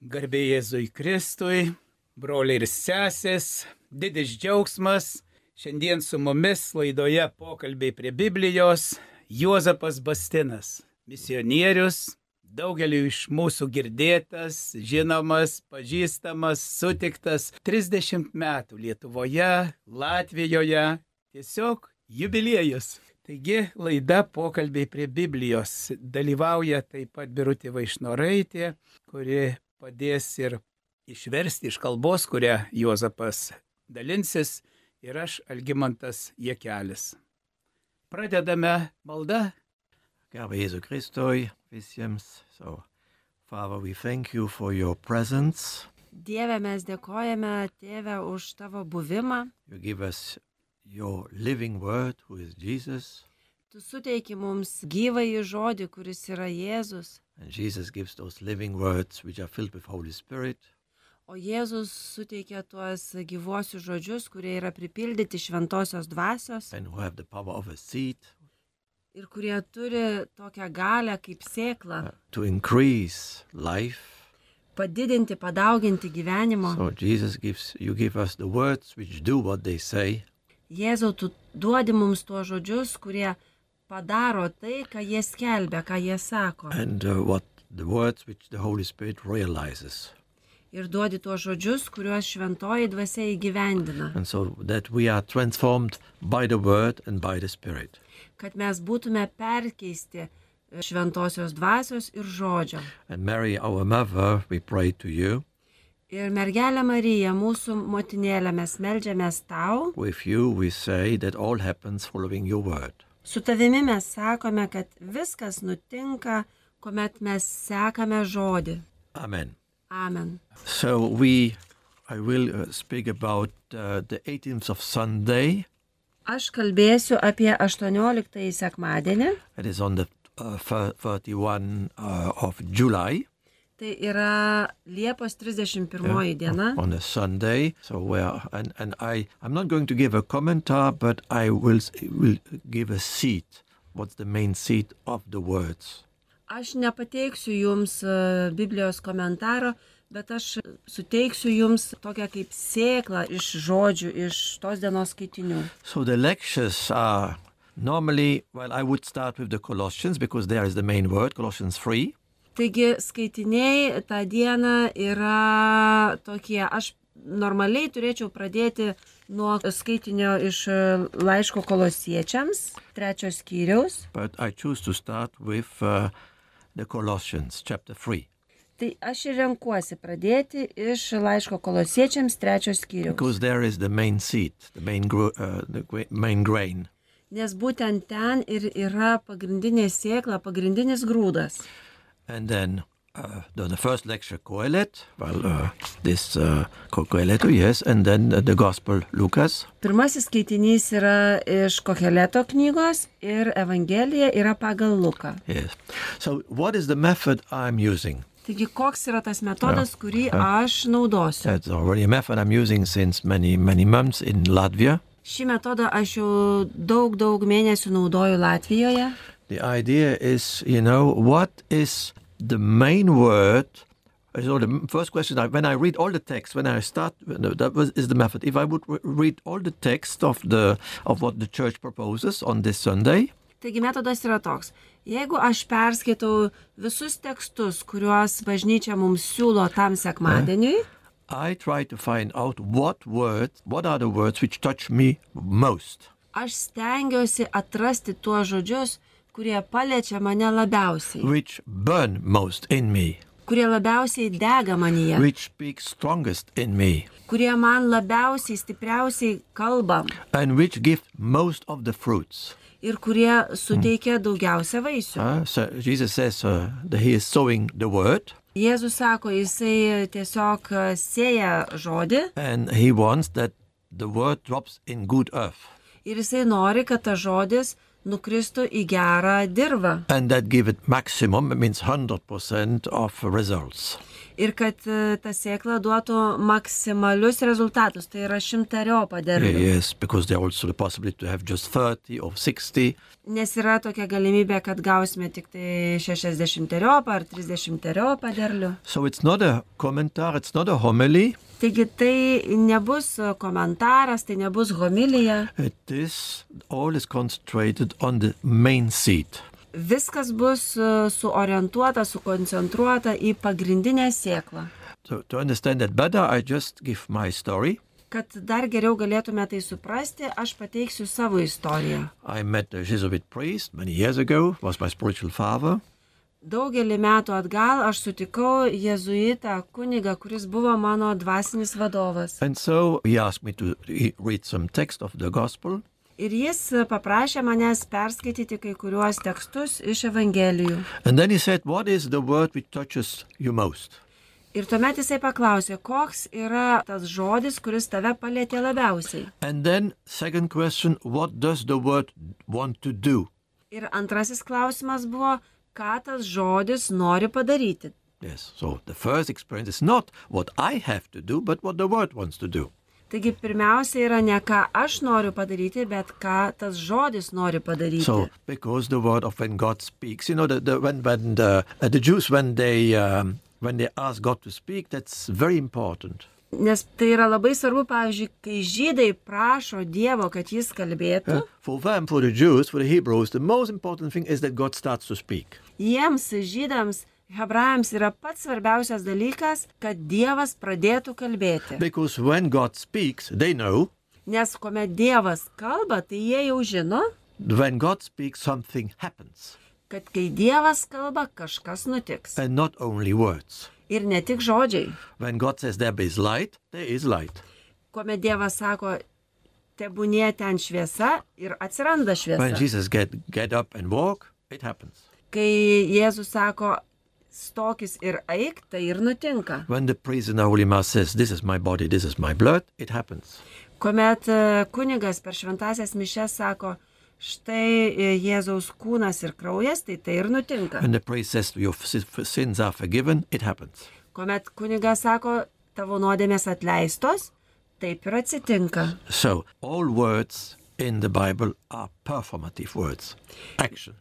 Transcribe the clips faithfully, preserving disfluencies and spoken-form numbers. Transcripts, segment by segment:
Garbė Jėzui Kristui, broliai ir sesės, didis džiaugsmas. Šiandien su mumis laidoje pokalbiai prie Biblijos Juozapas Bastinas, misionierius, daugeliu iš mūsų girdėtas, žinomas, pažįstamas, sutiktas, trisdešimt metų Lietuvoje, Latvijoje, tiesiog jubiliejus. Taigi laida pokalbiai prie Biblijos. Dalyvauja taip pat Birutė Vaišnoraitė, kuri padės ir išversti iš kalbos, kurią Juozapas dalinsis, ir aš Algimantas Jekelis. Pradedame maldą. Garbė Jėzui Kristui visiems. So, Father, we thank you for your presence. Dieve, mes dėkojame, Tėve, už tavo buvimą. You give us your living word, who is Jesus. Tu suteiki mums gyvąjį žodį, kuris yra Jėzus. And Jesus gives those living words which are filled with Holy Spirit. O Jėzus suteikia tuos gyvuosius žodžius, kurie yra pripildyti šventosios dvasios. And who have the power of a seed. Ir kurie turi tokią galę kaip sėklą. Uh, to increase life. Padidinti, padauginti gyvenimo. So Jesus gives, you give us the words which do what they say. Jėzau, tu duodi mums tuos žodžius, kurie padaro tai, ką jie skelbia, ką jie sako. And uh, what the words which the Holy Spirit realizes. Ir duodi tuos žodžius, kuriuos šventoji dvasia įgyvendina. And so that we are transformed by the word and by the Spirit. Kad mes būtume perkeisti šventosios dvasios ir žodžio. And Mary, our mother, we pray to you. Ir mergelė Marija, mūsų motinėlė, mes meldžiamės tau. With you we say that all happens following your word. Su tavimi mes sakome, kad viskas nutinka, kuomet mes sekame žodį. Amen. Amen. So we, I will uh, speak about uh, the eighteenth of Sunday. Aš kalbėsiu apie aštuonioliktąjį sekmadienį. It is on the uh, thirty-first uh, of July. Tai yra Liepos trisdešimt pirmoji Yeah, diena. on a Sunday. So where and and I I'm not going to give a commentar, but I will will give a seed. What's the main seed of the words? Aš nepateiksiu jums uh, Biblijos komentaro, bet aš suteiksiu jums tokią kaip sėklą iš žodžių, iš tos dienos skaitinių. So the lectures are normally, well, I would start with the Colossians because there is the main word, Colossians three. Taigi skaitiniai tą dieną yra tokie, aš normaliai turėčiau pradėti nuo skaitinio iš laiško Kolosiečiams, trečios skyriaus. But I choose to start with uh, the Colossians, chapter three. Tai aš ir renkuosi pradėti iš laiško Kolosiečiams, trečios skyriaus. Because there is the main seed, the main, gro- uh, the gra- main grain. Nes būtent ten ir yra pagrindinė sėkla, pagrindinis grūdas. And then uh, the, the first lecture, Kohelet, well, uh, this uh, Koheleto, yes, and then uh, the Gospel, Lucas. Pirmasis skaitinys yra iš Koheleto knygos ir Evangelija yra pagal Luką. Yes. So what is the method I'm using? Taigi, koks yra tas metodas, kurį aš naudosiu? That's already a method I'm using since many, many months in Latvia. Šį metodą aš jau daug, daug mėnesių naudoju Latvijoje. The idea is, you know, what is the main word? So the first question, I, when I read all the text, when I start, that was, is the method. If I would re- read all the text of the of what the church proposes on this Sunday, Taigi metodas yra toks. Jeigu aš perskaitau visus tekstus, kuriuos bažnyčia mums siūlo tam sekmadieniui, I try to find out what words, what are the words which touch me most. aš stengiuosi atrasti tuos žodžius, kurie paliečia mane labiausiai, Which burn most in me, kurie labiausiai dega manyje, which speak strongest in me, kurie man labiausiai, stipriausiai kalba and which give most of the fruits. ir kurie suteikia daugiausia vaisių. Uh, so Jesus says uh, that he is sowing the word, Jėzus sako, jisai tiesiog sėja žodį and he wants that the word drops in good earth. ir jisai nori, kad tas žodis nukristų į gerą dirvą. And that give it maximum, it means one hundred percent of results. Ir kad e, ta sėkla duotų maksimalius rezultatus, tai yra šimteriopą derlių. Yes, because there also the possibility to have just thirty or sixty. Nes yra tokia galimybė, kad gausime tik tai šešiasdešimteriopą ar trisdešimteriopą derlių. So it's not a komentar, it's not a homily. Taigi tai nebus komentaras, tai nebus homilija. It is, all is concentrated on the main seed. Viskas bus e, suorientuota, sukoncentruota į pagrindinę sėklą. So to understand that better, I just give my story. Kad dar geriau galėtume tai suprasti, aš pateiksiu savo istoriją. I met a Jesuit priest many years ago, was my spiritual father. Daugelį metų atgal aš sutikau jėzuitą kunigą, kuris buvo mano dvasinis vadovas. And so he asked me to re- read some text of the gospel. Ir jis paprašė manęs perskaityti kai kuriuos tekstus iš Evangelijų. And then he said, what is the word which touches you most? Ir tuomet jisai paklausė, koks yra tas žodis, kuris tave palietė labiausiai. And then second question, what does the word want to do? Ir antrasis klausimas buvo, ką tas žodis nori padaryti. Yes, so the first experience is not what I have to do, but what the word wants to do. Taigi pirmiausia yra ne ką aš noriu padaryti, bet ką tas žodis nori padaryti. So, because the word of when God speaks, you know, the, the, when, when the, uh, the Jews, when they, um, when they ask God to speak, that's very important. Nes tai yra labai svarbu, pavyzdžiui, kai žydai prašo Dievo, kad jis kalbėtų, Uh, for them, for the Jews, for the Hebrews, the most important thing is that God starts to speak. jiems, žydams, hebrajams yra pats svarbiausias dalykas, kad Dievas pradėtų kalbėti. Because when God speaks, they know. Nes kuomet Dievas kalba, tai jie jau žino, When God speaks, something happens. kad kai Dievas kalba, kažkas nutiks. And not only words. Ir ne tik žodžiai. When God says there is light, there is light. Kuomet Dievas sako, tebūnie ten šviesa ir atsiranda When šviesa. Jesus get, get up and walk, it happens. Kai Jėzus sako, stokis ir eik, tai ir nutinka. When the priest in the Holy Mass says, this is my body, this is my blood, it happens. Kuomet e, kunigas per šventasias mišes sako, štai e, Jėzaus kūnas ir kraujas, tai tai ir nutinka. When the priest says your si- sins are forgiven, it happens. Kuomet kunigas sako, tavo nuodėmės atleistos, taip ir atsitinka. So, all words in the Bible are performative words. Action.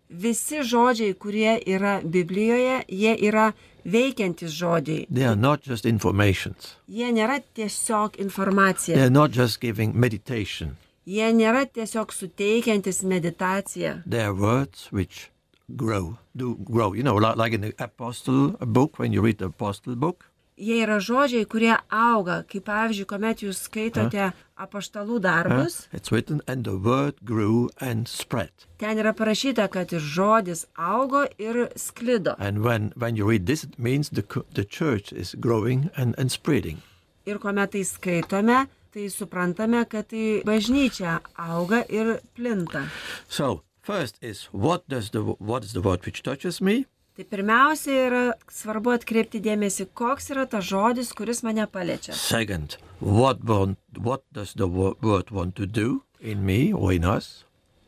Visi žodžiai, kurie yra Biblijoje, jie yra veikiantys žodžiai. They are not just informations. Jie nėra tiesiog They informacija. are not just giving meditation. Jie nėra tiesiog suteikiantis meditaciją. They are words which grow, do grow. You know, like, like in the Apostle book, when you read the Apostle book, Jie yra žodžiai, kurie auga, kaip pavyzdžiui, kuomet jūs skaitote apaštalų uh, darbus, it's written, and the word grew and spread. ten yra parašyta, kad ir žodis augo ir sklido. And when, when you read this, it means the, co- the church is growing and, and spreading. Ir kuomet tai skaitome, tai suprantame, kad tai bažnyčia auga ir plinta. So, first is, what, does the, what is the word which touches me? Tai pirmiausia yra svarbu atkreipti dėmesį, koks yra tas žodis, kuris mane paliečia. Second, what, want, what does the wo- word want to do in me or in us?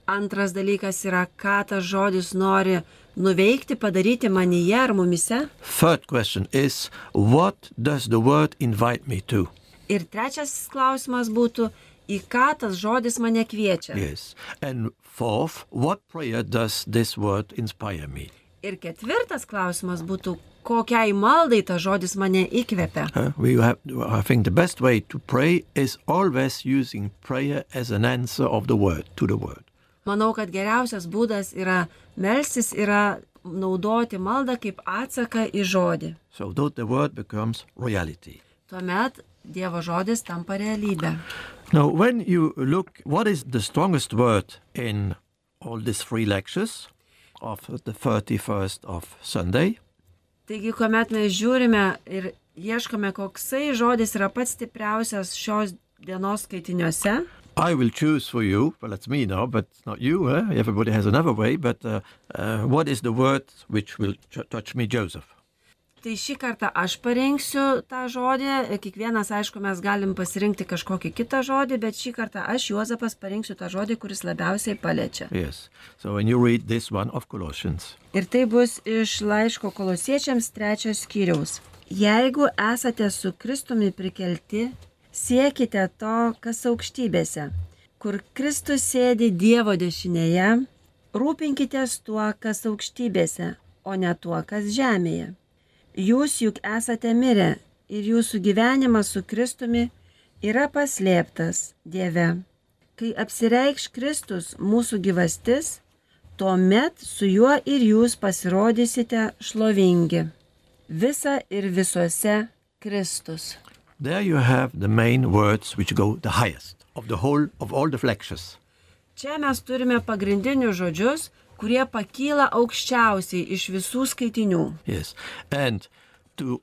Antras dalykas yra, ką tas žodis nori nuveikti, padaryti manyje ar mumise. Third question is, what does the word invite me to? Ir trečias klausimas būtų, į ką tas žodis mane kviečia. Yes. And fourth, what prayer does this word inspire me? Ir ketvirtas klausimas būtų, kokiai maldai tas žodis mane įkvepia. Uh, we have, I think the best way to pray is always using prayer as an answer of the word, to the word. Manau, kad geriausias būdas yra melstis, yra naudoti maldą kaip atsaką į žodį. So that the word becomes reality. Tuomet Dievo žodis tampa realybė. Now, when you look, what is the strongest word in all these three lectures of the thirty-first of Sunday? Taigi, kuomet mes žiūrime ir ieškome, koksai žodis yra pats stipriausias šios dienos skaitiniuose, I will choose for you, well, that's me now, but it's not you, eh? Everybody has another way, but uh, uh, what is the word which will ch- touch me, Joseph? Tai šį kartą aš parinksiu tą žodį, kiekvienas, aišku, mes galim pasirinkti kažkokį kitą žodį, bet šį kartą aš, Juozapas, parinksiu tą žodį, kuris labiausiai paliečia. Yes. So when you read this one of Colossians, Ir tai bus iš laiško Kolosiečiams trečios skyriaus. Jeigu esate su Kristumi prikelti, siekite to, kas aukštybėse, kur Kristus sėdi Dievo dešinėje, rūpinkitės tuo, kas aukštybėse, o ne tuo, kas žemėje. Jūs juk esate mirę ir jūsų gyvenimas su Kristumi yra paslėptas Dieve. Kai apsireikš Kristus mūsų gyvastis, tuomet su juo ir jūs pasirodysite šlovingi. Visa ir visuose Kristus. there you have the main words which go the highest of the whole of all the lectures. Čia mes turime pagrindinius žodžius, kurie pakyla aukščiausiai iš visų skaitinių. Yes, and to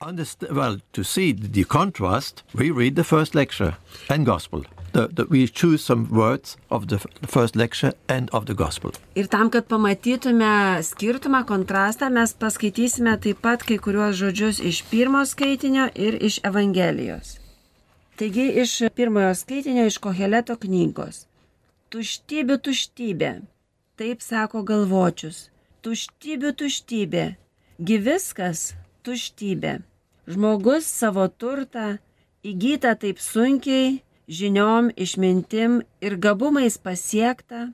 understand, well, to see the contrast, we read the first lecture and gospel. The, the, we choose some words of the first lecture and of the gospel. Ir tam, kad pamatytume skirtumą, kontrastą, mes paskaitysime taip pat kai kuriuos žodžius iš pirmo skaitinio ir iš Evangelijos. Taigi iš pirmojo skaitinio iš Koheleto knygos. Tuštybė, tuštybė, taip sako galvočius. Tuštybė, tuštybė, gi viskas tuštybė. Žmogus savo turtą įgyta taip sunkiai, žiniom, išmintim ir gabumais pasiekta,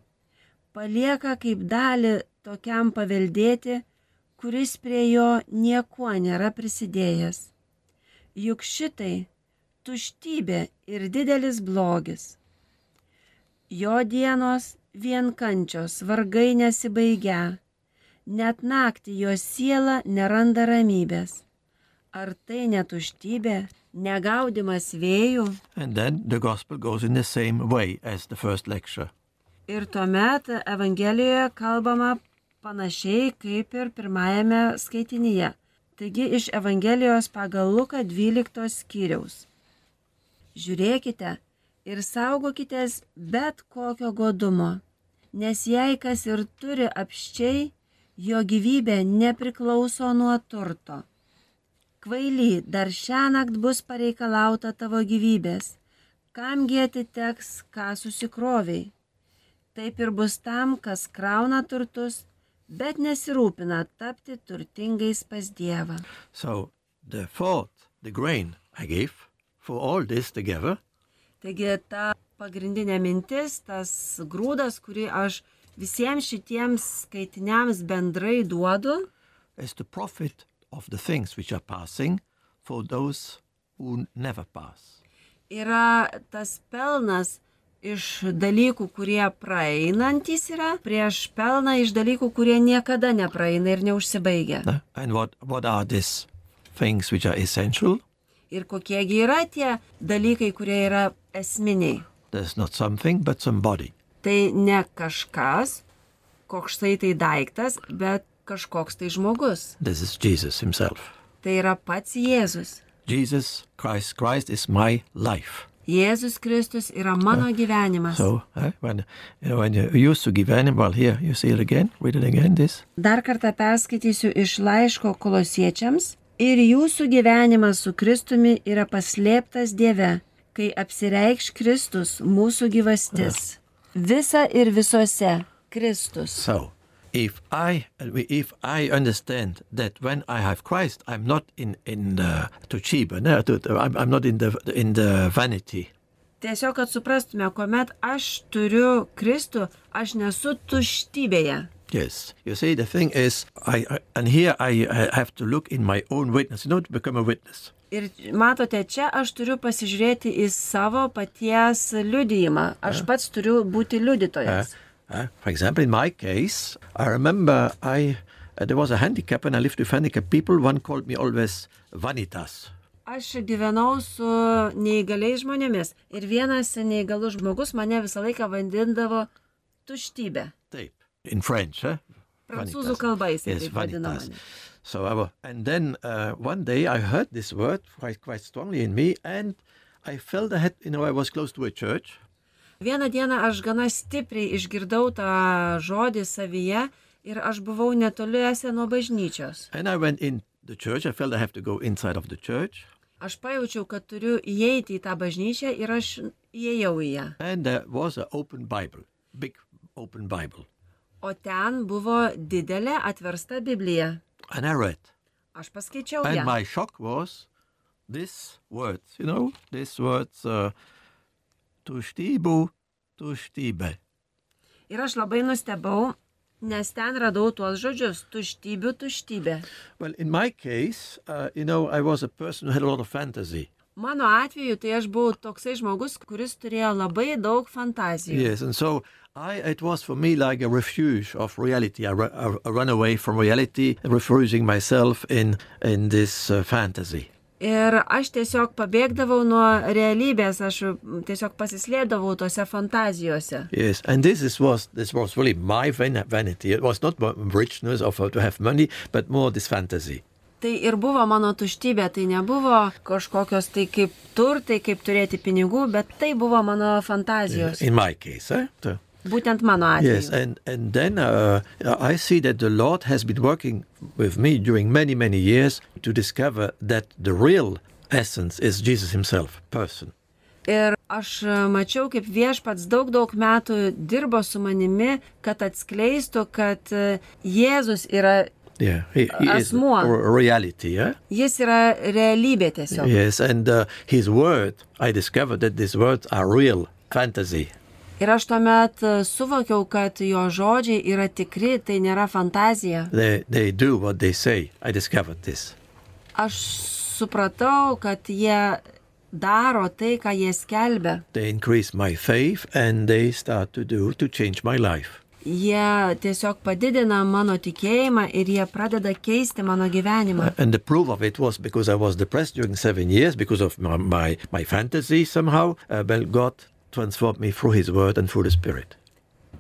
palieka kaip dalį tokiam paveldėti, kuris prie jo niekuo nėra prisidėjęs. Juk šitai tuštybė ir didelis blogis. Jo dienos vien kančios, vargai nesibaigia, net naktį jo siela neranda ramybės. Ar tai netuštybė, negaudimas vėjų? And then the gospel goes in the same way as the first lecture. Ir tuomet Evangelijoje kalbama panašiai kaip ir pirmajame skaitinyje. Taigi iš Evangelijos pagal Luką dvyliktos skyriaus. Žiūrėkite ir saugokitės bet kokio godumo, nes jei kas ir turi apščiai, jo gyvybė nepriklauso nuo turto. Kvaily, dar šiąnakt bus pareikalauta tavo gyvybės, kamgi atiteks, ką susikroviai. Taip ir bus tam, kas krauna turtus, bet nesirūpina tapti turtingais pas Dievą. So the fourth, the grain I give for all this together, Taigi ta pagrindinė mintis, tas grūdas, kurį aš visiems šitiems skaitiniams bendrai duodu, is the profit of the things which are passing for those who never pass. yra tas pelnas iš dalykų, kurie praeinantys yra, prieš pelną iš dalykų, kurie niekada nepraeina ir neužsibaigia. No? And what, what are these things which are essential? Ir kokiegi yra tie dalykai, kurie yra esminiai. There's not something, but somebody. Tai ne kažkas, koks tai tai daiktas, bet kažkoks tai žmogus. This is Jesus himself. Tai yra pats Jėzus. Jesus Christ, Christ is my life. Jėzus Kristus yra mano gyvenimas. So uh, when you know when you used to give him, well, here you see it again. Read it again. This. Dar kartą perskaitysiu iš laiško Kolosiečiams. Ir jūsų gyvenimas su Kristumi yra paslėptas Dieve, kai apsireikš Kristus mūsų gyvastis. Visa ir visuose Kristus. So, if I if I understand that when I have Christ, I'm not in in uh, tuštybė, no, I'm, I'm not in the in the vanity. Tiesiog, kad suprastume, kuomet aš turiu Kristų, aš nesu tuštybėje. Yes, you see, the thing is, I, I and here I, I have to look in my own witness, you know, to become a witness. Ir matote, čia aš turiu pasižiūrėti į savo paties liudijimą. Aš pats turiu būti liudytojas. Uh, uh, for example, in my case, I remember I uh, there was a handicap and I lived with handicapped people. One called me always Vanitas. Aš gyvenau su neįgaliais žmonėmis ir vienas neįgalus žmogus mane visą laiką vadindavo tuštybė. Taip. In French, huh? Prancūzų kalba jisai Yes, taip vadino vanitas. mane. So I was, and then uh, one day I heard this word quite quite strongly in me, and I felt I had, you know, I was close to a church. Vieną dieną aš gana stipriai išgirdau tą žodį savyje ir aš buvau netoliese nuo bažnyčios. And I went in the church. I felt I have to go inside of the church. Aš pajaučiau, kad turiu įeiti į tą bažnyčią ir aš įėjau į ją. And there was an open Bible, big open Bible. O ten buvo didelė atversta Biblija. And I read. Aš paskaičiau And ją. my shock was this words, you know, these words, uh, tuštybu, tuštybė. Ir aš labai nustebau, nes ten radau tuos žodžius – tuštybių tuštybė. Well, in my case, uh, you know, I was a person who had a lot of fantasy. Mano atveju tai aš buvau toksai žmogus, kuris turėjo labai daug fantazijų. Yes, and so I, it was for me like a refuge of reality. I, ru- I run away from reality, refusing myself in, in this uh, fantasy. Ir aš tiesiog pabėgdavau nuo realybės, aš tiesiog pasislėpdavau tose fantazijose. Yes, and this is, was this was really my van- vanity. It was not richness of uh, to have money, but more this fantasy. Tai ir buvo mano tuštybė, tai nebuvo kažkokios tai kaip turtai, kaip turėti pinigų, bet tai buvo mano fantazijos. In my case, eh? So, Būtent mano atveju. yes, and and then uh, I see that the Lord has been working with me during many many years to discover that the real essence is Jesus Himself, person. Ir aš mačiau, kaip Viešpats daug daug metų dirbo su manimi, kad atskleistų, kad Jėzus yra, Yeah, he, he is a Asmuo. a reality. Yeah. jis yra realybė tiesiog. Yes, and uh, His word. I discovered that these words are real fantasy. Ir aš tuomet suvokiau, kad jo žodžiai yra tikri, tai nėra fantazija. They they do what they say. I discovered this. Aš supratau, kad jie daro tai, ką jie skelbia. They increase my faith, and they start to do to change my life. Jie tiesiog padidina mano tikėjimą ir jie pradeda keisti mano gyvenimą. And the proof of it was because I was depressed during seven years because of my my, my fantasy somehow. Uh, well, God transformed me through His word and through the Spirit.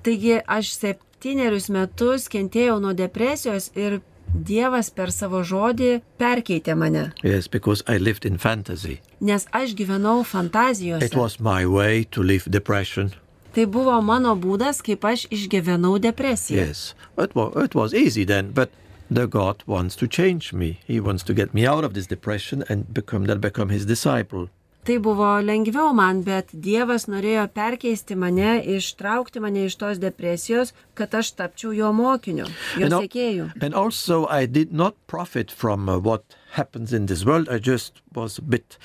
Taigi aš septynerius metus kentėjau nuo depresijos ir Dievas per savo žodį perkeitė mane, Yes, because I lived in fantasy. nes aš gyvenau It fantazijose. was my way to live depression. Tai buvo mano būdas, kaip aš išgyvenau depresiją. Yes, it was, it was easy then, but the God wants to change me. He wants to get me out of this depression and become that become His disciple. Tai buvo lengviau man, bet Dievas norėjo perkeisti mane, ištraukti mane iš tos depresijos, kad aš tapčiau jo mokiniu, jo And, al- sekėju. and also I did not profit from uh, what happens in this world. I just was a bit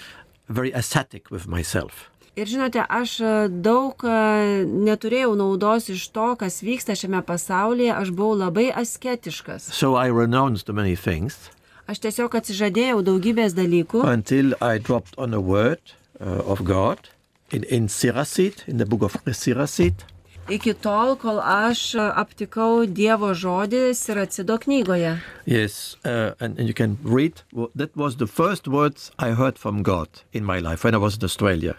very ascetic with myself. Ir žinote, aš e, daug e, neturėjau naudos iš to, kas vyksta šiame pasaulyje, aš buvau labai asketiškas. So I renounced to many things Aš tiesiog atsižadėjau daugybės dalykų, until I dropped on a word uh, of God in, in Siracid, in the book of Siracid. iki tol, kol aš e, aptikau Dievo žodį Siracido knygoje. Yes, uh, and, and you can read. Well, that was the first words I heard from God in my life when I was in Australia.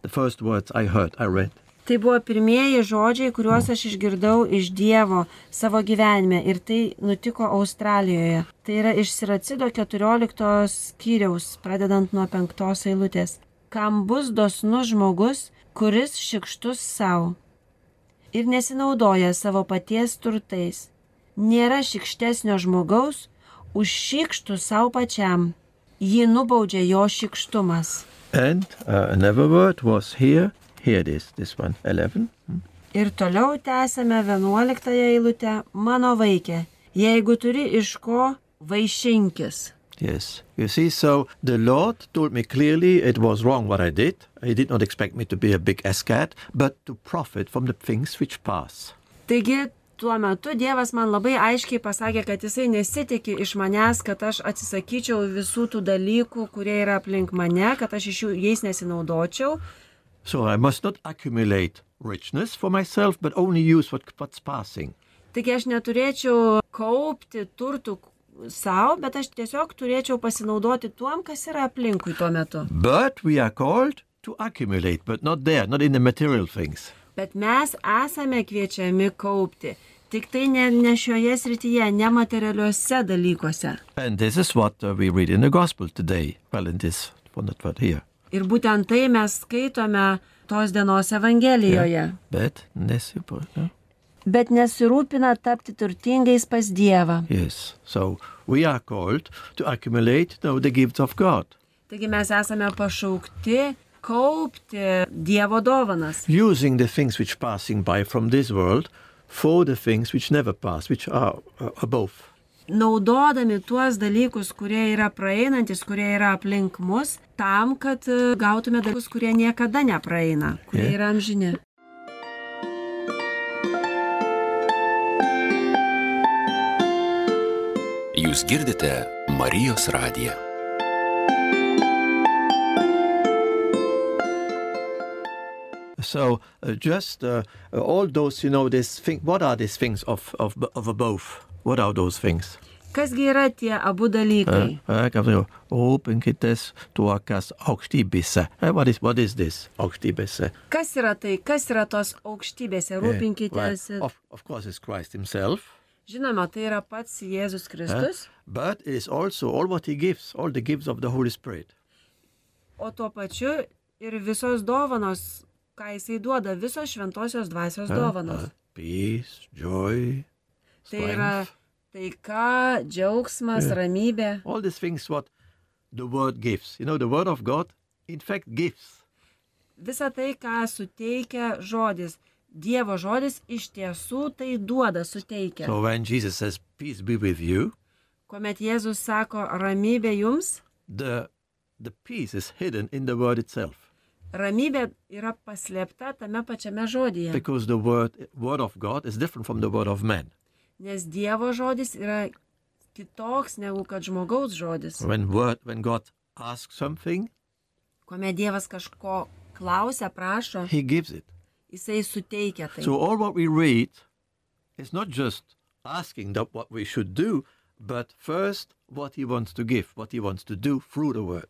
The first words I heard, I read. Tai buvo pirmieji žodžiai, kuriuos aš išgirdau iš Dievo savo gyvenime ir tai nutiko Australijoje. Tai yra iš Siracido keturioliktos skyriaus, pradedant nuo penktos eilutės. Kam bus dosnus žmogus, kuris šikštus savo ir nesinaudoja savo paties turtais. Nėra šikštesnio žmogaus už šikštų savo pačiam. Jį nubaudžia jo šikštumas. And uh, another word was here. Here it is, this one, eleven. Ir toliau tęsame vienuoliktąją eilutę. Mano vaikė, jeigu turi iš ko, vaišinkis. Yes, you see, so the Lord told me clearly it was wrong what I did. He did not expect me to be a big ascat, but to profit from the things which pass. Taigi, tuo metu Dievas man labai aiškiai pasakė, kad jisai nesitikė iš manęs, kad aš atsisakyčiau visų tų dalykų, kurie yra aplink mane, kad aš iš jų jais nesinaudočiau. So I must not accumulate richness for myself, but only use what, what's passing. Taigi aš neturėčiau kaupti turtų savo, bet aš tiesiog turėčiau pasinaudoti tuom, kas yra aplinkui tuo metu. But we are called to accumulate, but not there, not in the material things. Bet mes esame kviečiami kaupti. Tik tai ne, ne šioje srityje, nematerialiuose dalykuose. And this is what uh, we read in the gospel today. Well, in this, well, not what here. Ir būtent tai mes skaitome tos dienos Evangelijoje. Bet, nesupo, no? bet nesirūpina tapti turtingais pas Dievą. Yes. So we are called to accumulate now the gifts of God. Taigi mes esame pašaukti kaupti Dievo dovanas, Using the things which passing by from this world for the things which never pass, which are uh, above. naudodami tuos dalykus, kurie yra praeinantis, kurie yra aplink mus, tam, kad e, gautume dalykus, kurie niekada nepraeina, kurie Yeah. yra amžini. Jūs girdite Marijos radiją. So uh, just uh, all those, you know, this thing. What are these things of of of above? What are those things? Kasgi yra tie abu dalykai? Uh, kan vi jo, Rūpinkitės tuo, kas aukštybėse. Uh, What is what is this aukštybėse? Kas yra tai? Kas yra tos aukštybėse? Rūpinkitės. Well, of, of course, it's Christ Himself, Žinoma, tai yra pats Jėzus uh, Kristus, but it is also all what He gives, all the gifts of the Holy Spirit. o tuo pačiu ir visos dovanos, ką Jisai duoda, visos šventosios dvasios Uh, dovanos. uh, peace, joy, Tai yra strength. taika, džiaugsmas, Yeah. ramybė. All these things what the Word gives. You know, the Word of God, in fact, gives. Visa tai, ką suteikia žodis. Dievo žodis iš tiesų tai duoda, suteikia. So when Jesus says, "Peace be with you," Kuomet Jėzus sako ramybė jums, the the peace is hidden in the Word itself, ramybė yra paslėpta tame pačiame žodyje. because the Word Word of God is different from the Word of man. Nes Dievo žodis yra kitoks negu kad žmogaus žodis. When word when God asks something, Kuomet Dievas kažko klausia, prašo, He gives it. Jisai suteikia tai. So all what we read is not just asking that what we should do, but first what He wants to give, what He wants to do through the Word.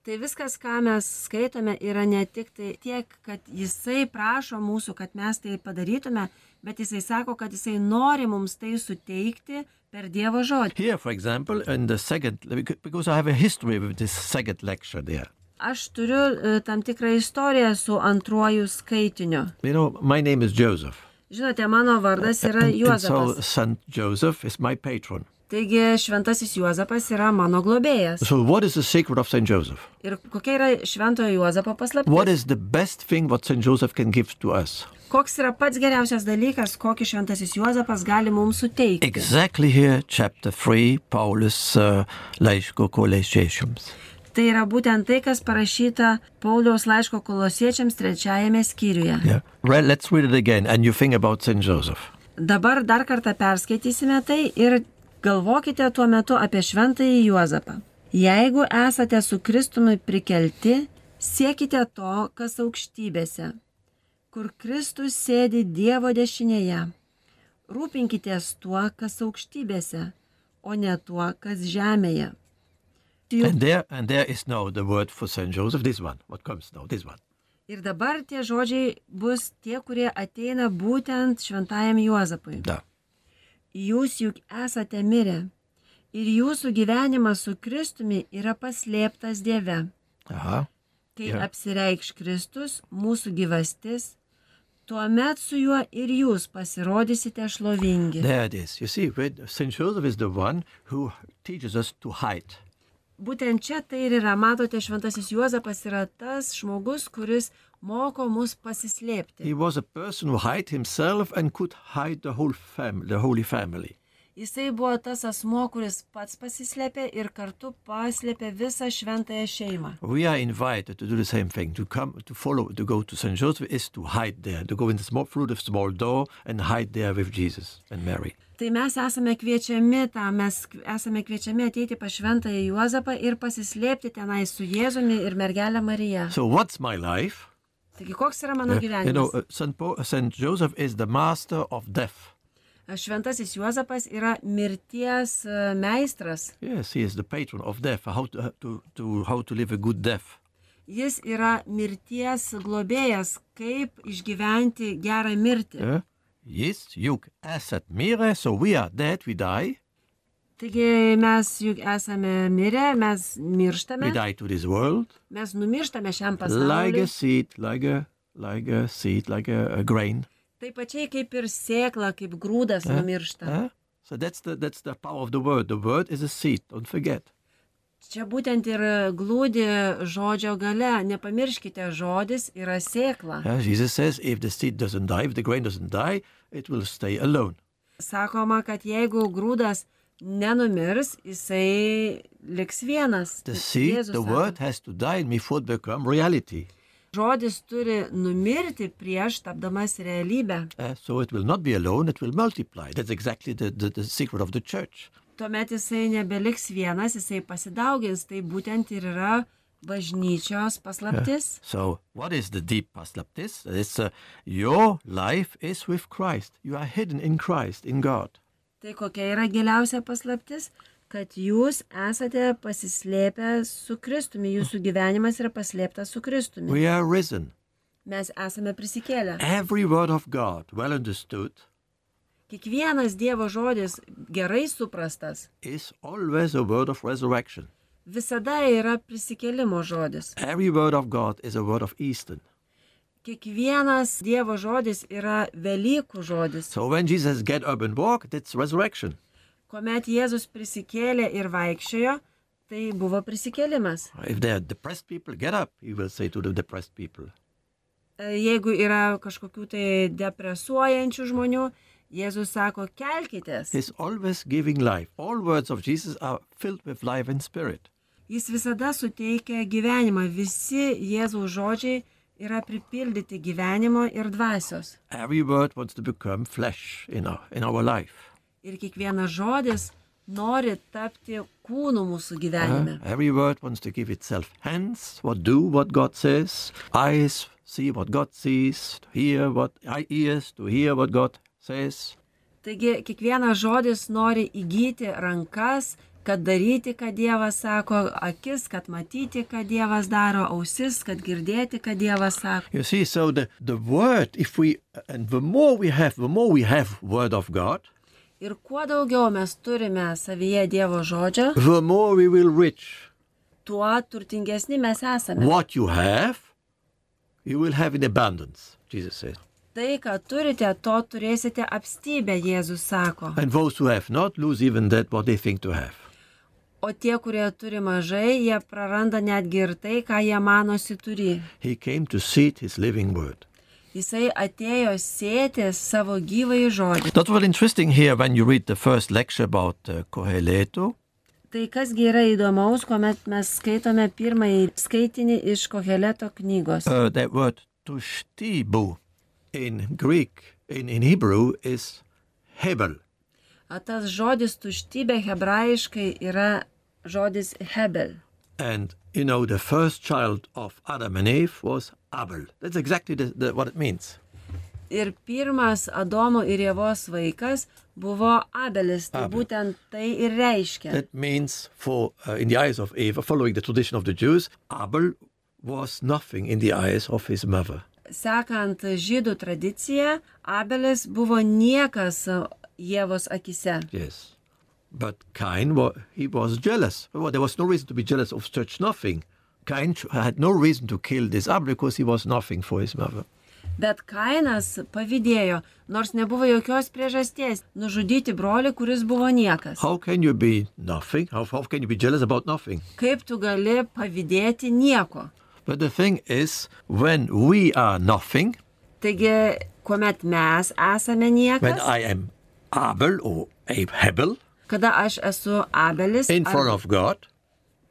Tai viskas, ką mes skaitome, yra ne tik tai tiek, kad Jisai prašo mūsų, kad mes tai padarytume, bet Jisai sako, kad Jisai nori mums tai suteikti per Dievo žodį. Here, for example, in the second, because I have a history with this second lecture there. Aš turiu e, tam tikrą istoriją su antruoju skaitiniu. You know, my name is Joseph. Žinote, mano vardas yra And, and so Juozapas. Saint Joseph is my patron. Taigi šventasis Juozapas yra mano globėjas. So what is the secret of Saint Joseph? Ir kokia yra šventojo Juozapo What paslaptis? is the best thing what Saint Joseph can give to us? Koks yra pats geriausias dalykas, kokį šventasis Juozapas gali mums suteikti? Exactly here, chapter three, Paulus uh, laiško kolosiečiams. Tai yra būtent tai, kas parašyta Pauliaus laiško kolosiečiams trečiajame skyriuje. Yeah. Re- let's read it again, and you think about Saint Joseph. Dabar dar kartą perskaitysime tai ir galvokite tuo metu apie šventąjį Juozapą. Jeigu esate su Kristumi prikelti, siekite to, kas aukštybėse, kur Kristus sėdi Dievo dešinėje. Rūpinkitės tuo, kas aukštybėse, o ne tuo, kas žemėje. Juk And there, and there is now the word for Saint Joseph. This one, what comes now, this one. ir dabar tie žodžiai bus tie, kurie ateina būtent šventajam Juozapui. Da. Jūs juk esate mirę ir jūsų gyvenimas su Kristumi yra paslėptas Dieve. Aha. Kai Ja. apsireikš Kristus, mūsų gyvastis, tuomet su juo ir jūs pasirodysite šlovingi. There it is. You see, when Saint Joseph is the one who teaches us to hide. Būtent čia tai ir yra, matote, šventasis Juozapas yra tas žmogus, kuris moko mus pasislėpti. He was a person who hid himself and could hide the whole family, the Holy Family. Jisai buvo tas asmo, kuris pats pasislėpė ir kartu paslėpė visą šventąją šeimą. We are invited to do the same thing, to come, to follow, to go to Saint Joseph is to hide there, to go in the small, through the small door and hide there with Jesus and Mary. Tai mes esame kviečiami tam, mes esame kviečiami ateiti pas šventąją Juozapą ir pasislėpti tenai su Jėzumi ir mergelė Marija. So what's my life? Taigi, koks yra mano Uh, you know, gyvenimas? uh, Saint, Paul, Saint Joseph is the master of death. Šventasis Juozapas yra mirties e, meistras. Yes, he is the patron of death, how to, uh, to, to, how to live a good death. Jis yra mirties globėjas, kaip išgyventi gerą mirtį. Yeah? Jis juk esat mirę, so we are dead, we die. Taigi mes juk esame mirę, mes mirštame, We die to this world, mes numirštame šiam like a pasauliu, seed, like a, like a seed, like a, a grain. Taip pačiai kaip ir sėkla, kaip grūdas numiršta. Huh? So that's the, that's the power of the word. The word is a seed, don't forget. Čia būtent ir glūdi žodžio gale. Nepamirškite, žodis yra sėkla. Uh, Jesus says, if the seed doesn't die, if the grain doesn't die, it will stay alone. Sakoma, kad jeigu grūdas nenumirs, jisai liks vienas. The seed, Jėzus the sako. word has to die and before it become reality. Žodis turi numirti prieš tapdamas realybę. Uh, so it will not be alone, it will multiply. That's exactly the, the, the secret of the church. Tuomet jisai nebeliks vienas, jisai pasidaugins. Tai būtent ir yra bažnyčios paslaptis. So what is the deep paslaptis? It's uh, your life is with Christ. You are hidden in Christ, in God. Tai kokia yra giliausia paslaptis? Kad jūs esate pasislėpę su Kristumi, jūsų gyvenimas yra paslėptas su Kristumi. We are risen. Mes esame prisikėlę. Every word of God, well understood, Kiekvienas Dievo žodis gerai suprastas is always a word of resurrection. visada yra prisikėlimo žodis. Every word of God is a word of Eastern. Kiekvienas Dievo žodis yra Velykų žodis. So when Jesus get up and walk, that's resurrection. Kuomet Jėzus prisikėlė ir vaikščiojo, tai buvo prisikėlimas. If they are depressed people, get up, he will say to the depressed people. Jeigu yra kažkokių tai depresuojančių žmonių, Jėzus sako, kelkitės. He's always giving life. All words of Jesus are filled with life and spirit. Jis visada suteikia gyvenimą. Visi Jėzaus žodžiai yra pripildyti gyvenimo ir dvasios. Every word wants to become flesh in our, in our life. Ir kiekvienas žodis nori tapti kūnu mūsų gyvenime. Uh, every word wants to give itself hands, what do what God says, eyes, see what God sees, to hear what ears, to hear what God says. Taigi kiekvienas žodis nori įgyti rankas, kad daryti, ką Dievas sako, akis, kad matyti, ką Dievas daro, ausis, kad girdėti, ką Dievas sako. You see, so the, the word, if we, and the more we have, the more we have word of God, Ir kuo daugiau mes turime savyje Dievo žodžio, the more we will reach. tuo turtingesni mes esame. What you have, you will have in abundance, Jesus says. Tai, ką turite, to turėsite apstybę, Jėzus sako. And those who have not lose even that what they think to have. O tie, kurie turi mažai, jie praranda netgi ir tai, ką jie manosi turi. He came to seed his living word. Jisai atėjo sėti savo gyvąjį žodį. That's what interesting here when you read the first lecture about uh, Koheleto. Tai kasgi yra įdomaus, kuomet mes skaitome pirmąjį skaitinį iš Koheleto knygos. Uh, that word tushtibu in Greek, in, in Hebrew is hebel. A tas žodis tuštybė hebrajiškai yra žodis hebel. And you know, the first child of Adam and Eve was Abel. That's exactly the, the, what it means. Ir pirmas Adomo ir Ievos vaikas buvo Abelis. Tai Abel. būtent tai ir reiškia. That means, for uh, in the eyes of Eve, following the tradition of the Jews, Abel was nothing in the eyes of his mother. Sekant žydų tradiciją, Abelis buvo niekas Ievos akise. Yes. But Cain, wa- he was jealous. Well, there was no reason to be jealous of such nothing. Cain ch- had no reason to kill this Abel because he was nothing for his mother. Bet Kainas pavydėjo, nors nebuvo jokios priežasties nužudyti brolį, kuris buvo niekas. How can you be nothing? How, how can you be jealous about nothing? Kaip tu gali pavydėti nieko? But the thing is, when we are nothing, Taigi, kuomet mes esame when niekas, I am Abel or Abe Hebel kada aš esu Abelis in front arba, of God,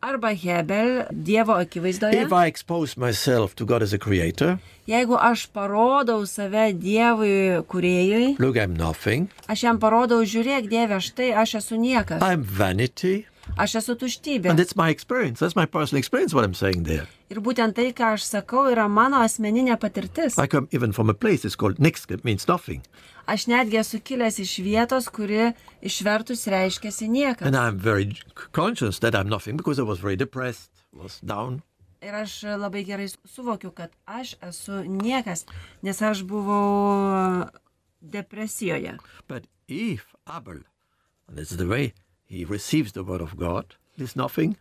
arba Hebel Dievo akivaizdoje, if I expose myself to God as a creator, jeigu aš parodau save Dievui kūrėjui, look, I'm nothing, aš jam parodau, žiūrėk Dieve, štai aš esu niekas, I'm vanity, aš esu tuštybė. and that's my experience. That's my personal experience, what I'm saying there. Ir būtent tai, ką aš sakau, yra mano asmeninė patirtis. I come even from a place, it's called Nix, it means nothing. Aš netgi esu kilęs iš vietos, kuri išvertus reiškiasi niekas. And I'm very conscious that I'm nothing because I was very depressed, was down. Ir aš labai gerai suvokiu, kad aš esu niekas, nes aš buvau depresijoje. But if Abel, and this is the way he receives the word of God, is nothing,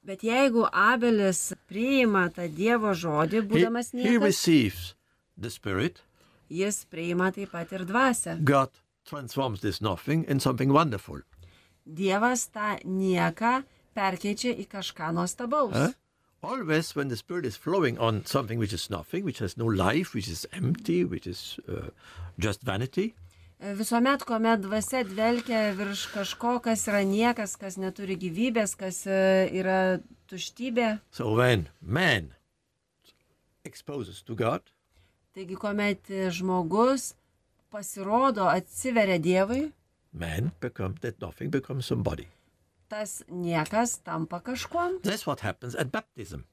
Bet jeigu Abelis priima tą Dievo žodį, he, būdamas he niekas, receives the Spirit, jis priima taip pat ir dvasią. God transforms this nothing in something wonderful. Dievas tą nieką perkeičia į kažką nuostabaus. Huh? Always when the Spirit is flowing on something which is nothing, which has no life, which is empty, which is uh, just vanity, Visuomet, kuomet dvasia dvelkia virš kažko, kas yra niekas, kas neturi gyvybės, kas e, yra tuštybė. so when man exposes to God, Taigi, kuomet žmogus pasirodo, atsiveria Dievui, man becomes, that nothing becomes somebody. tas niekas tampa kažkuom. That's what happens at baptism.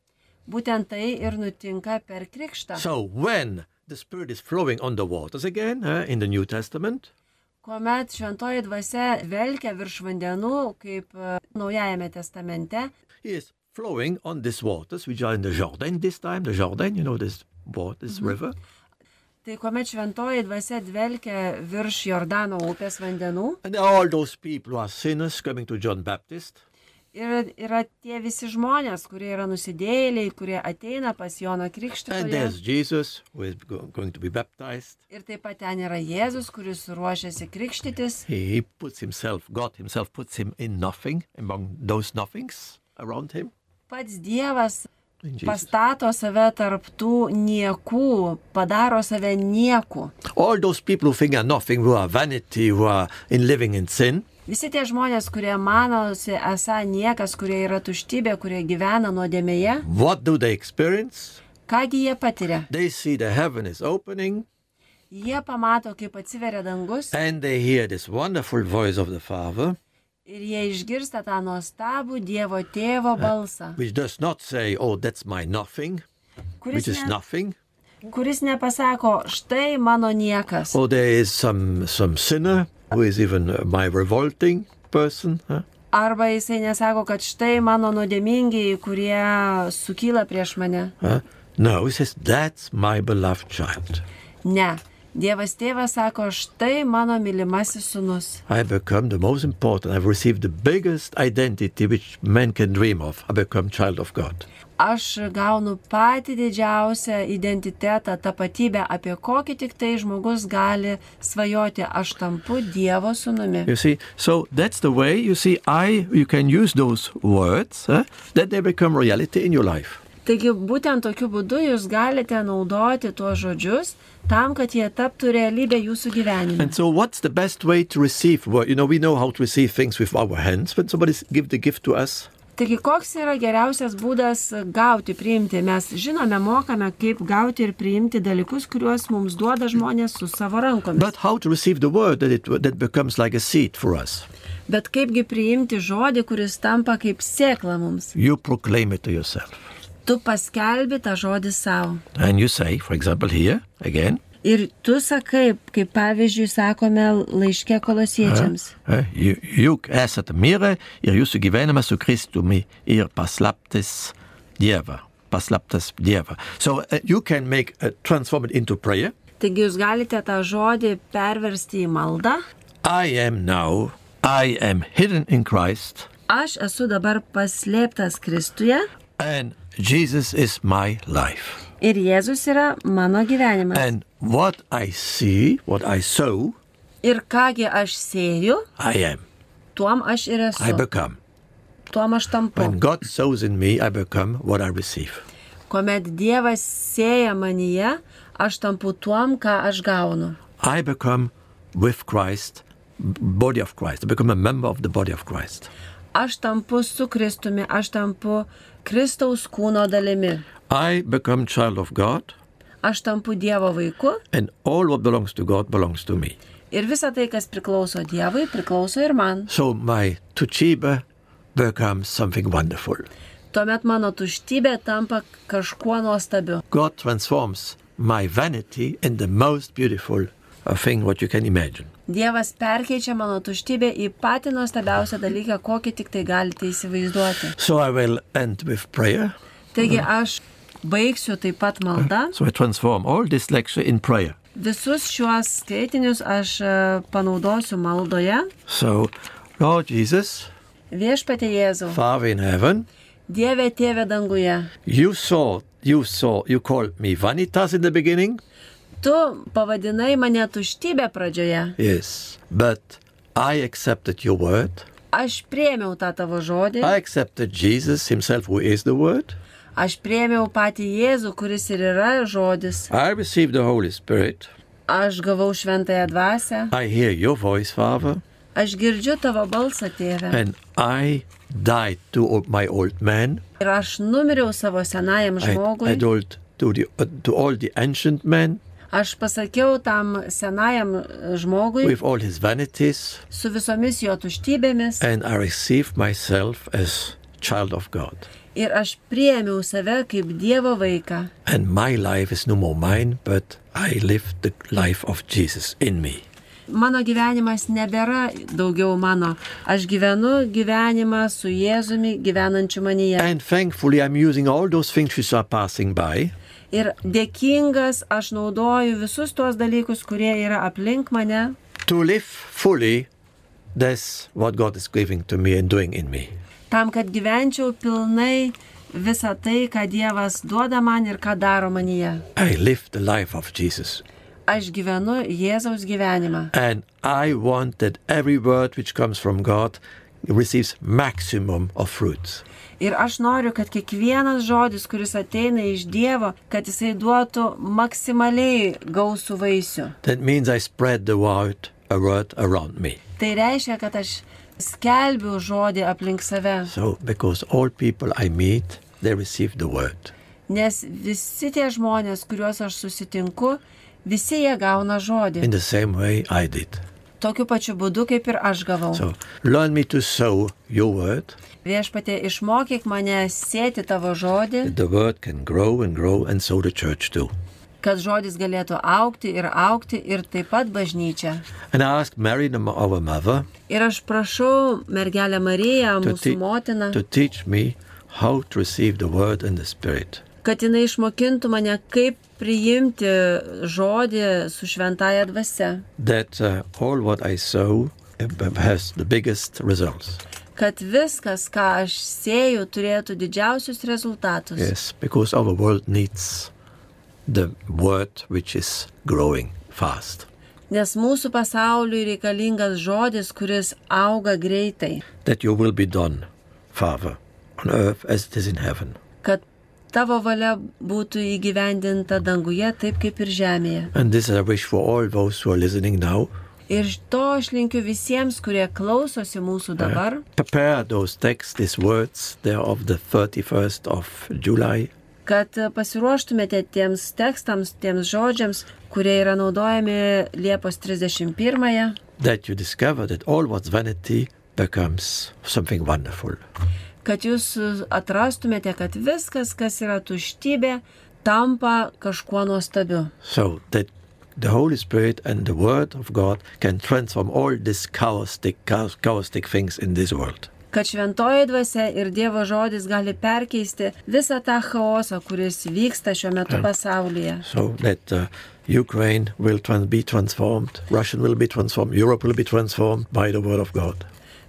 Būtent tai ir nutinka per krikštą. So when the Spirit is flowing on the waters again uh, in the New Testament, Kuomet šventoji dvasia velkia virš vandenų, kaip e, Naujajame testamente, he is flowing on these waters, which are in the Jordan this time, the Jordan, you know, this water, this river. tai kuomet šventoji dvasia dvelkia virš Jordano upės vandenų, And all those people who are sinners coming to John Baptist, ir yra tie visi žmonės, kurie yra nusidėjėliai, kurie ateina pas Joną and Krikštytoją. there's Jesus who is go- going to be baptized. Ir taip pat ten yra Jėzus, kuris ruošiasi krikštytis. He, he puts himself, God himself puts him in nothing, among those nothings around him. Pats Dievas In Jesus. pastato save tarptų niekų, padaro save niekų. All those people who think are nothing, who are vanity, who are in living in sin, Visi tie žmonės, kurie manosi esą niekas, kurie yra tuštybė, kurie gyvena nuodėmėje, what do they experience? kągi jie patiria? They see the heaven is opening, Jie pamato, kaip atsiveria dangus and they hear this wonderful voice of the Father, ir jie išgirsta tą nuostabų Dievo tėvo balsą, which does not say, oh, that's my nothing, kuris, which is ne, nothing. kuris nepasako, štai mano niekas. Or there is some, some sinner who is even uh, my revolting person. Huh? Arba jisai nesako, kad štai mano nuodėmingiai, kurie sukyla prieš mane. Huh? No, he says, that's my beloved child. Ne. Dievas tėvas sako, štai mano mylimasis sūnus. I become the most important. I've received the biggest identity which man can dream of. I become child of God. Aš gaunu patį didžiausią identitetą, tapatybę, apie kokį tik tai žmogus gali svajoti. Aš tampu Dievo sūnumi. You see, so that's the way, you see, I, you can use those words, huh, that they become reality in your life. Taigi būtent tokiu būdu jūs galite naudoti tuos žodžius tam, kad jie taptų realybę jūsų gyvenime. And so what's the best way to receive word? You know, we know how to receive things with our hands. When somebody give the gift to us, Taigi koks yra geriausias būdas gauti, priimti? Mes žinome, mokame, kaip gauti ir priimti dalykus, kuriuos mums duoda žmonės su savo rankomis. but how to receive the word that it that becomes like a seed for us. Bet kaipgi priimti žodį, kuris tampa kaip sėkla mums? You proclaim it to yourself. Tu paskelbi tą žodį savo. And you say, for example, here, again, Ir tu sakai, kaip pavyzdžiui sakome laiške kolosiečiams. uh, you, juk esate mirę ir jūsų gyvenimas su Kristumi ir paslaptis Dieva. Paslaptas Dieva. So uh, you can make uh, transform it into prayer. Taigi jūs galite tą žodį perversti į maldą. I am now, I am hidden in Christ, Aš esu dabar paslėptas Kristuje and Jesus is my life. ir Jėzus yra mano gyvenimas. And what I see, what I sow, Ir kągi aš sėju, I am. tuom aš ir I esu. become. Tuom aš tampu. When God sows in me, I become what I receive. Kuomet Dievas sėja manyje, aš tampu tuom, ką aš gaunu. I become with Christ, b- body of Christ. I become a member of the body of Christ. Aš tampu su Kristumi, aš tampu Kristaus kūno dalimi. I become child of God, Aš tampu Dievo vaiku and all what belongs to God belongs to me. ir visa tai, kas priklauso Dievui, priklauso ir man. So my tuchiba becomes something wonderful. Tuomet mano tuštybė tampa kažkuo nuostabiu. God transforms my vanity in the most beautiful uh, thing what you can imagine. Dievas perkeičia mano tuštybę į patį nuostabiausią dalyką, kokį tik tai galite įsivaizduoti. So I will end with prayer. Taigi aš baigsiu taip pat maldą. So I transform all this lecture in prayer. Visus šiuos skaitinius aš e, panaudosiu maldoje. So, Lord Jesus, Viešpatie Jėzau, Father in heaven, Dieve Tėve danguje, you saw, you saw, you called me vanitas in the beginning, Tu pavadinai mane tuštybė pradžioje. Yes, but I accepted your word. Aš priėmiau tą tavo žodį. I accepted Jesus himself, who is the word. Aš priėmiau patį Jėzų, kuris ir yra žodis. I received the Holy Spirit. Aš gavau šventąją dvasią. I hear your voice, Father. Aš girdžiu tavo balsą, tėve. And I died to my old man. Ir aš numiriau savo senajam I, žmogui. I told to, the, uh, to all the ancient men Aš pasakiau tam senajam žmogui with all his vanities, su visomis jo tuštybėmis. and I received myself as child of God. Ir aš priėmiau save kaip Dievo vaiką. And my life is no more mine, but I live the life of Jesus in me. Mano gyvenimas nebėra daugiau mano. Aš gyvenu gyvenimą su Jėzumi gyvenančiu manyje. And thankfully I'm using all those things which are passing by. Ir dėkingas aš naudoju visus tuos dalykus, kurie yra aplink mane. To live fully, that's what God is giving to me and doing in me. Tam, kad gyvenčiau pilnai visą tai, ką Dievas duoda man ir ką daro manyje. I live the life of Jesus. Aš gyvenu Jėzaus gyvenimą. And I want that every word which comes from God receives maximum of fruits. Ir aš noriu, kad kiekvienas žodis, kuris ateina iš Dievo, kad jisai duotų maksimaliai gausų vaisių. That means I spread the word, a word around me. Tai reiškia, kad aš skelbiu žodį aplink save. So, because all people I meet, they receive the word. Nes visi tie žmonės, kuriuos aš susitinku, visi jie gauna žodį. In the same way I did. Tokiu pačiu būdu, kaip ir aš gavau. So, learn me to sow your word. Viešpatie, išmokyk mane sėti tavo žodį, That the word can grow and grow, and so the church too. kad žodis galėtų augti ir augti ir taip pat bažnyčia. And I asked Mary, our mother, Ir aš prašau mergelę Mariją, to, mūsų te- motiną, to teach me how to receive the word and the spirit. kad jinai išmokintų mane, kaip priimti žodį su šventaja dvasia. That uh, all what I sow uh, has the biggest results. Kad viskas, ką aš sėju, turėtų didžiausius rezultatus. Yes, because our world needs the word which is growing fast. Nes mūsų pasauliui reikalingas žodis, kuris auga greitai. That your will be done, Father, on earth as it is in heaven. Kad tavo valia būtų įgyvendinta danguje taip kaip ir žemėje. And this I wish for all those who are listening now. Ir to aš linkiu visiems, kurie klausosi mūsų dabar. Prepare those texts, these words, they are of the thirty-first of July. Kad pasiruoštumėte tiems tekstams, tiems žodžiams, kurie yra naudojami Liepos trisdešimt pirmąją. That you discover that all what's vanity becomes something wonderful. Kad jūs atrastumėte, kad viskas, kas yra tuštybė, tampa kažkuo nuostabiu. So that the Holy Spirit and the Word of God can transform all these chaotic, chaotic things in this world. Kad šventoji dvasia ir Dievo žodis gali perkeisti visą tą chaosą, kuris vyksta šiuo metu pasaulyje. So that uh, Ukraine will trans- be transformed, Russia will be transformed, Europe will be transformed by the Word of God.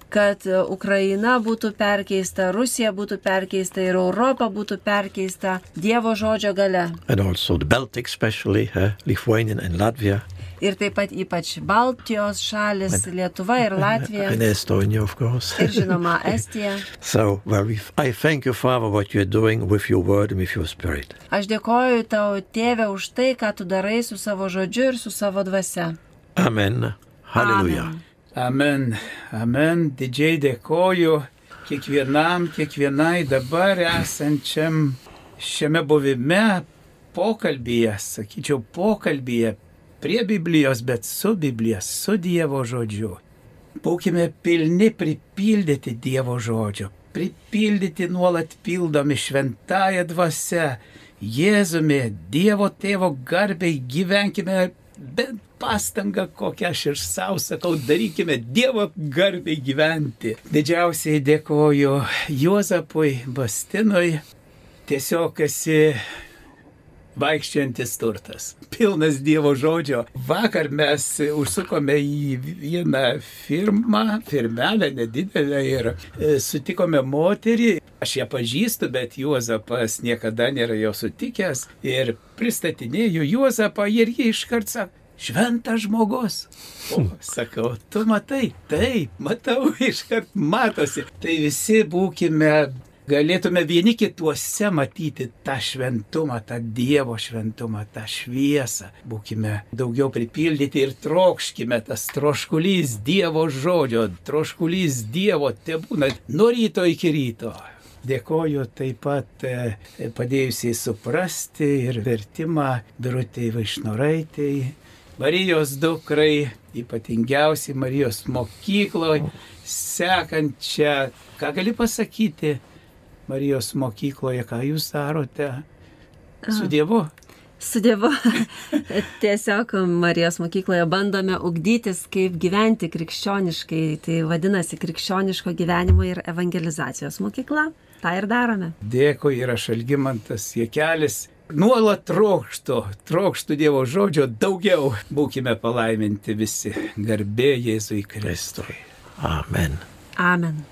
Kad Ukraina būtų perkeista, Rusija būtų perkeista ir Europa būtų perkeista Dievo žodžio gale. And also the Baltic especially, uh, Lithuania and Latvia. Ir taip pat ypač Baltijos šalis, Lietuva ir Latvija. And Estonia, of course. Ir žinoma, Estija. So, well, we, I thank you, Father, what you're doing with your word and with your spirit. Aš dėkoju tau, Tėve, už tai, ką tu darai su savo žodžiu ir su savo dvasia. Amen. Hallelujah. Amen. Amen, amen, didžiai dėkoju kiekvienam, kiekvienai dabar esančiam šiame buvime, pokalbyje, sakyčiau, pokalbyje prie Biblijos, bet su Biblija, su Dievo žodžiu. Būkime pilni pripildyti Dievo žodžio, pripildyti nuolat pildomi šventąją dvasią, Jėzumi, Dievo tėvo garbei, gyvenkime bent pastangą, kokią aš ir savo sakau, darykime Dievo garbei gyventi. Didžiausiai dėkoju Juozapui Bastinui, tiesiog esi vaikščiantis turtas, pilnas Dievo žodžio. Vakar mes užsukome į vieną firmą, firmelę nedidelę ir sutikome moterį. Aš ją pažįstu, bet Juozapas niekada nėra jo sutikęs ir pristatinėjau Juozapą ir jie iškart sako, šventas žmogus. O, sakau, tu matai, taip, matau, iškart matosi. Tai visi būkime, galėtume vieni kituose matyti tą šventumą, tą Dievo šventumą, tą šviesą. Būkime daugiau pripildyti ir trokškime tas troškulys Dievo žodžio, troškulys Dievo tebūna nuo ryto iki ryto. Dėkoju taip pat e, padėjusiai suprasti ir vertimą Birutei Vaišnoraitei, Marijos dukrai, ypatingiausiai Marijos mokykloje, sekančią, ką gali pasakyti Marijos mokykloje, ką jūs darote su Dievu? Su Dievu. Tiesiog Marijos mokykloje bandome ugdytis, kaip gyventi krikščioniškai. Tai vadinasi krikščioniško gyvenimo ir evangelizacijos mokykla. Ta ir darome. Dėkui, ir aš Algimantas Jakelis. Nuolat trokštu, trokštu Dievo žodžio daugiau. Būkime palaiminti visi. Garbė Jėzui Kristui. Amen. Amen.